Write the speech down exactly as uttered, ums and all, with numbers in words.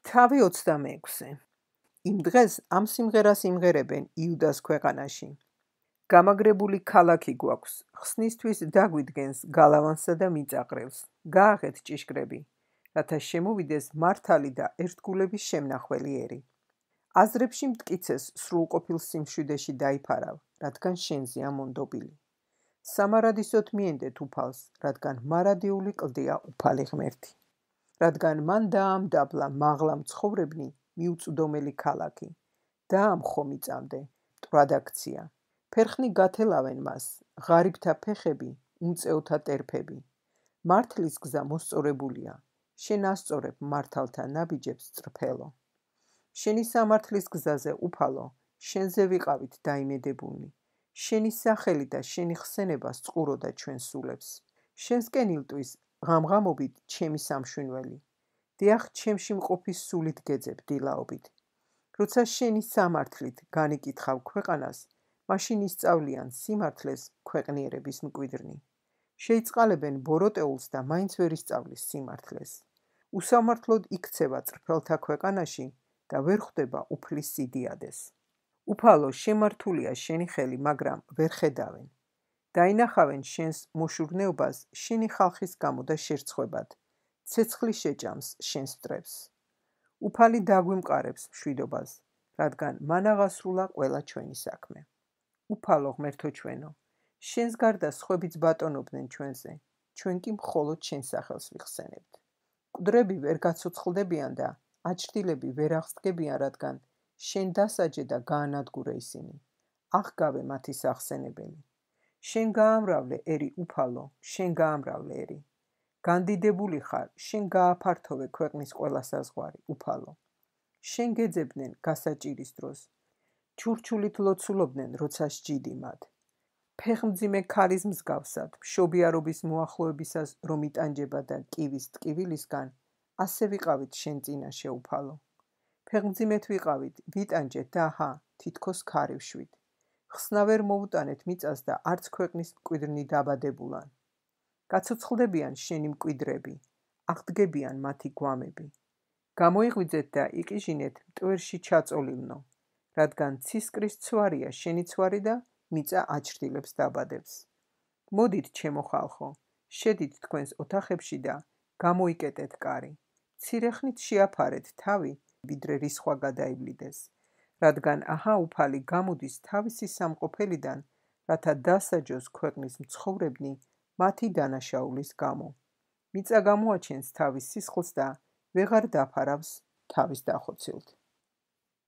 თავი ოცდამეექვსე. იმ დღეს ამ სიმღერას იმღერებენ იუდას ქვეყანაში. გამაგრებული ქალაქი გვაქვს, ხსნისთვის დაგვიდგენს გალავანსა და მიწაყრილს. გააღეთ ჭიშკრები, რათა შემოვიდეს მართალი და ერთგულების შემნახველი ერი. აზრებში მტკიცეს სრულყოფილ სიმშვიდეში დაიფარავ, რადგან შენზეა მონდობილი. სამარადისოდ მიენდეთ უფალს, რადგან მარადიული კლდია უფალი ღმერთი. რადგან მან დაამდაბლა მაღლა მცხოვრებნი მიუწვდომელი ქალაქი. დაამხო მიწამდე, მტვრად აქცია. ფერხნი გათელავენ მას, ღარიბთა ფეხები, უმწეოთა ტერფები. მართლის გზა მოსწორებულია, შენ ასწორებ მართალთა ნაბიჯებს წრფელო. შენი სამართლის გზაზე უფალო, შენზე ვიყავით დაიმედებულნი. შენი სახელი და შენი ხსენება სწყუროდა ჩვენ სულებს. შენსკენ ილტვის ღამღამობით ჩემი სამშვენველი. დიახ, ჩემში მყოფი სულით გეძებ დილაობით. როცა შენი სამართლით განიკითხავ ქვეყანას, მაშინ ისწავლიან სიმართლეს ქვეყნიერების მკვიდრნი. შეიწყალებენ ბოროტეულს და მაინც ვერ ისწავლის სიმართლეს. უსამართლოდ იქცევა წრფელთა ქვეყანაში და ვერ ხვდება უფლის სიდიადეს. უფალო, შემართულია შენი ხელი, მაგრამ ვერ ხედავენ. დაინახავენ შენს მოშურნეობას შენი ხალხის გამო და შერცხვებად. ცეცხლი შეჭამს შენს მტრებს. უფალი დაგვიმყარებს მშვიდობას, რადგან მან აღასრულა ყველა ჩვენი საქმე. უფალო ღმერთო ჩვენო, შენს გარდა სხვებიც ბატონობდნენ ჩვენზე, ჩვენ კი მხოლოდ შენ სახელს ვიხსენებთ. მკვდრები ვერ გაცოცხლდებიან და აჩრდილები ვერ აღსდგებიან, რადგან შენ დასაჯე და გაანადგურე ისინი. აღგავე მათი სახსენებელი. შენ გაამრავლე ერი უფალო, შენ გაამრავლე ერი. განდიდებული ხარ, შენ გააფართოვე ქვეყნის ყველა საზღვარი, უფალო. შენ გეძებდნენ გასაჭირის დროს. ჩურჩულით ლოცულობდნენ, როცა სჯიდი მათ. ფეხმძიმე ქალის მსგავსად, მშობიარობის მოახლოებისას რომ იტანჯება და კივის ტკივილისგან, ასე ვიყავით შენ წინაშე უფალო. ფეხმძიმეთ ვიყავით, ვიტანჯეთ და აჰა, თითქოს ქარივშვით. ხსნა ვერ მოუტანეთ მიწას და არც ქვეყნის მკვიდრნი დაბადებულან. გაცოცხლდებიან შენი მკვიდრები, აღდგებიან მათი გვამები. გამოიღვიძეთ და იყიჟინეთ მტვერში ჩაწოლილნო, რადგან ცისკრის ცვარია შენი ცვარი და მიწა აჩრდილებს დაბადებს. მოდით ჩემო ხალხო, შედით თქვენს ოთახებში და გამოიკეტეთ კარი. მცირე ხნით შეაფარეთ თავი, ვიდრე რისხვა გადაივლიდეს. რადგან აჰა უფალი გამოდის თავისი სამყოფელიდან, რათა დასაჯოს ქვეყნის მცხოვრებნი მათი დანაშაულის გამო. მიწა გამოაჩენს თავის სისხლს და ვეღარ დაფარავს თავის დახოცილთ.